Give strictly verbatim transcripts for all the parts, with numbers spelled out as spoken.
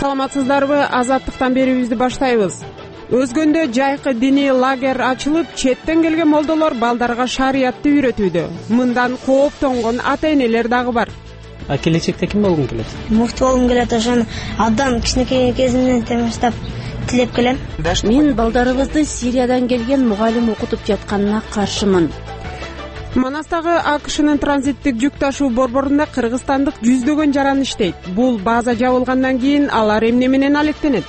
саламатсыздарбы? Азаттыктан берүүбүздү баштайбыз. Өзгөндө жайкы диний лагерь ачылып, четтен келген молдолор балдарга шариятты үйрөтүүдө. Мындан кооптонгон ата-энелер дагы бар. А келечекте ким болгуң келет? Муфти болгум келет. Ошону абдан кичинекей кезимден баштап тилеп келем. Мен балдарыбызды Сириядан келген мугалим окутуп жатканына каршымын. Манастагы АКШнын транзиттик жүк ташуу борборунда кыргызстандык жүздөгөн жаран иштейт. Бул база жабылгандан кийин алар эмне менен алектенет?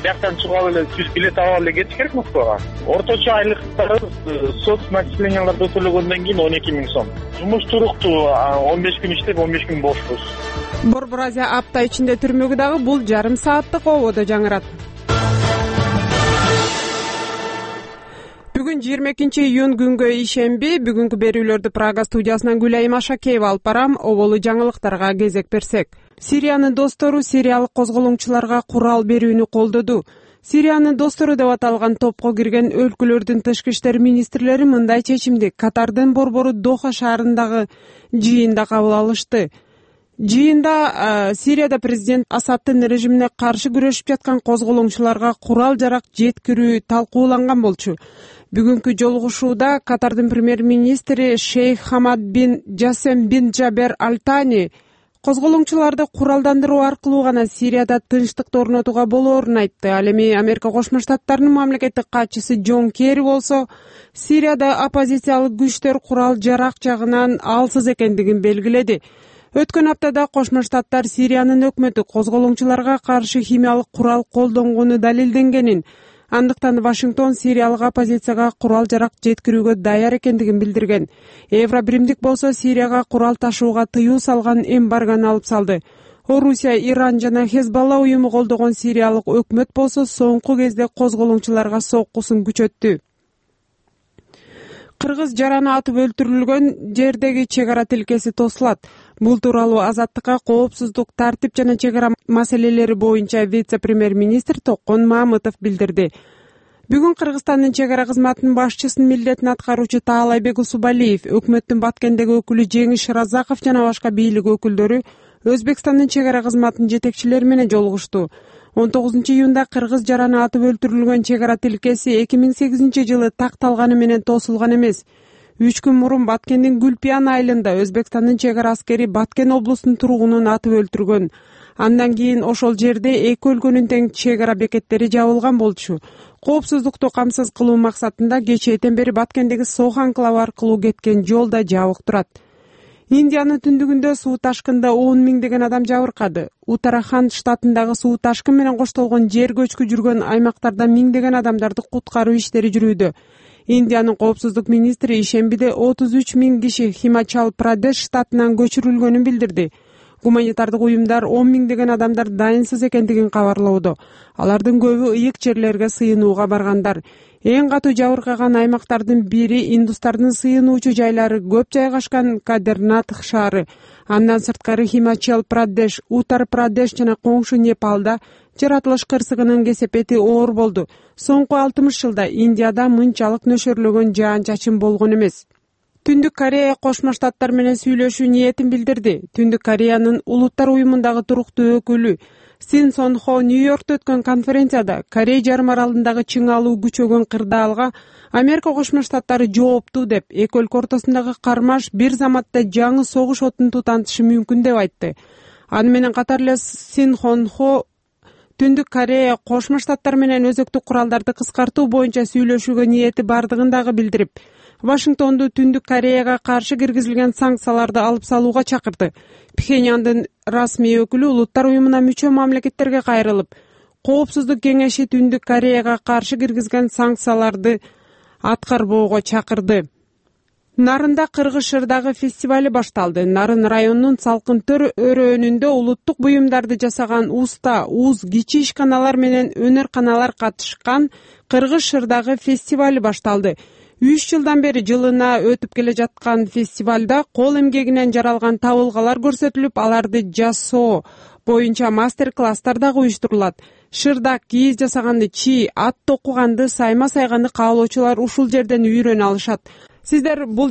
Бияктан чыгып эле түз билет алып эле кетиш керек Москвага. Орточо айлыктарыбыз соц начисленияларды төлөгөндөн кийин он эки миң сом. Жумуш туруктуу, он беш күн иштеп, он беш күн бошпуз. Борбор Азия апта ичинде түрмөгү дагы бул жарым сааттык ободо жаңырат. Бүгүн жыйырма экинчи июнь күнгө ишемби. Бүгүнкү берүүлөрдү Прага студиясынан Гүлайым Ашакеева алып барам. Оболу жаңылыктарга кезек берсек. Сириянын достору сириялык козголоңчуларга курал берүүнү колдоду. Сириянын достору деп аталган топко кирген өлкөлөрдүн тышкы иштер министрлери мындай чечимди Катардын борбору Доха шаарындагы жыйында кабыл алышты. Жыйында Сирияда президент Асаддын режимине каршы күрөшүп жаткан козголоңчуларга курал жарак жеткирүү талкууланган болчу. Бүгүнкү жолугушууда Катардын премьер-министри Шейх Хамад бин Жасем бин Джабер Аль-Тани козголоңчуларды куралдандыруу аркылуу гана Сирияда тынчтыкты орнотууга болоорун айтты. Ал эми Америка Кошмо Штаттарынын мамлекеттик катчысы Джон Керри болсо Сирияда оппозициялык күчтөр курал жарак жагынан алсыз экендигин белгиледи. Өткөн аптада Кошмо Штаттар Сириянын өкмөтү козголоңчуларга каршы химиялык курал колдонгону далилденгенин, андыктан Вашингтон сириялык оппозицияга курал жарак жеткирүүгө даяр экендигин билдирген. Евробиримдик болсо Сирияга курал ташууга тыюу салган эмбаргону алып салды. Орусия, Иран жана Хезболла уюму колдогон сириялык өкмөт болсо соңку кезде козголоңчуларга соккусун күчөттү. Кыргыз жараны атып өлтүрүлгөн жердеги чек ара тилкеси тосулат. Бул тууралуу Азаттыкка коопсуздук, тартип жана чек ара маселелери боюнча вице-премьер-министр Токон Мамытов билдирди. Бүгүн Кыргызстандын чек ара кызматынын башчысынын милдетин аткаруучу Таалайбек Усубалиев, өкмөттүн Баткендеги өкүлү Жеңиш Разаков жана башка бийлик өкүлдөрү Өзбекстандын чек ара кызматынын жетекчилери менен жолугушту. он тогузунчу июнда кыргыз жараны атып өлтүрүлгөн чек ара тилкеси эки миң сегизинчи жылы такталганы менен тосулган эмес. Үч күн мурун Баткендин Гүлпиян айылында Өзбекстандын чек ара аскери Баткен облусунун тургунун атып өлтүргөн. Андан кийин ошол жерде эки өлкөнүн тең чек ара бекеттери жабылган болчу. Коопсуздукту камсыз кылуу максатында кечээден бери Баткендеги Сох анклавы аркылуу кеткен жол да жабык турат. Индиянын түндүгүндө суу ташкында он миңдеген адам жабыркады. Утараханд штатындагы суу ташкын менен коштолгон жер көчкү жүргөн аймактарда миңдеген адамдарды куткаруу иштери жүрүүдө. Индиянын коопсуздук министри ишембиде отуз үч миң киши Химачал Прадеш штатынан көчүрүлгөнүн билдирди. Гуманитардык уюмдар он миңдеген адамдар дайынсыз экендигин кабарлоодо. Алардын көбү ыйык жерлерге сыйынууга баргандар. Эң катуу жабыркаган аймактардын бири индустардын сыйынуучу жайлары көп жайгашкан Кадернатх шаары. Андан сырткары Химачал Прадеш, Утар Прадеш жана коңшу Непалда жаратылыш кырсыгынын кесепети оор болду. Соңку алтымыш жылда Индияда мынчалык нөшөрлөгөн жаан-чачын болгон эмес. Түндүк Корея Кошмо Штаттар менен сүйлөшүү ниетин билдирди. Түндүк Кореянын Улуттар уюмундагы туруктуу өкүлү Син Сон Хо Нью-Йоркто өткөн конференцияда Корей жарым аралындагы чыңалуу күчөгөн кырдаалга Америка Кошмо Штаттары жооптуу деп, эки өлкө ортосундагы кармаш бир заматта жаңы согуш отун тутантышы мүмкүн деп айтты. Аны менен катар эле Син Сон Хо Түндүк Корея Кошмо Штаттар менен өзөктүк куралдарды кыскартуу боюнча сүйлөшүүгө ниети бардыгын дагы билдирип, Вашингтонду Түндүк Кореяга каршы киргизилген санкцияларды алып салууга чакырды. Пхеньяндын расмий өкүлү Улуттар уюмуна мүчө мамлекеттерге кайрылып, Коопсуздук кеңеши Түндүк Кореяга каршы киргизген санкцияларды аткарбоого чакырды. Нарында Кыргыз-Шырдагы фестивали башталды. Нарын районунун Салкын Төр өрөөнүндө улуттук буюмдарды жасаган уста, уз, кичи ишканалар менен өнөр-каналар катышкан Кыргыз-Шырдагы фестивали башталды. Үч жылдан бери жылына өтүп келе жаткан фестивалда кол эмгегинен жаралган табылгалар көрсөтүлүп, аларды жасоо боюнча мастер-класстар дагы уюштурулат. Шырдак, кийиз жасаганды, чий, ат токуганды, сайма сайганды каалоочулар ушул жерден үйрөнө алышат. Сиздер бул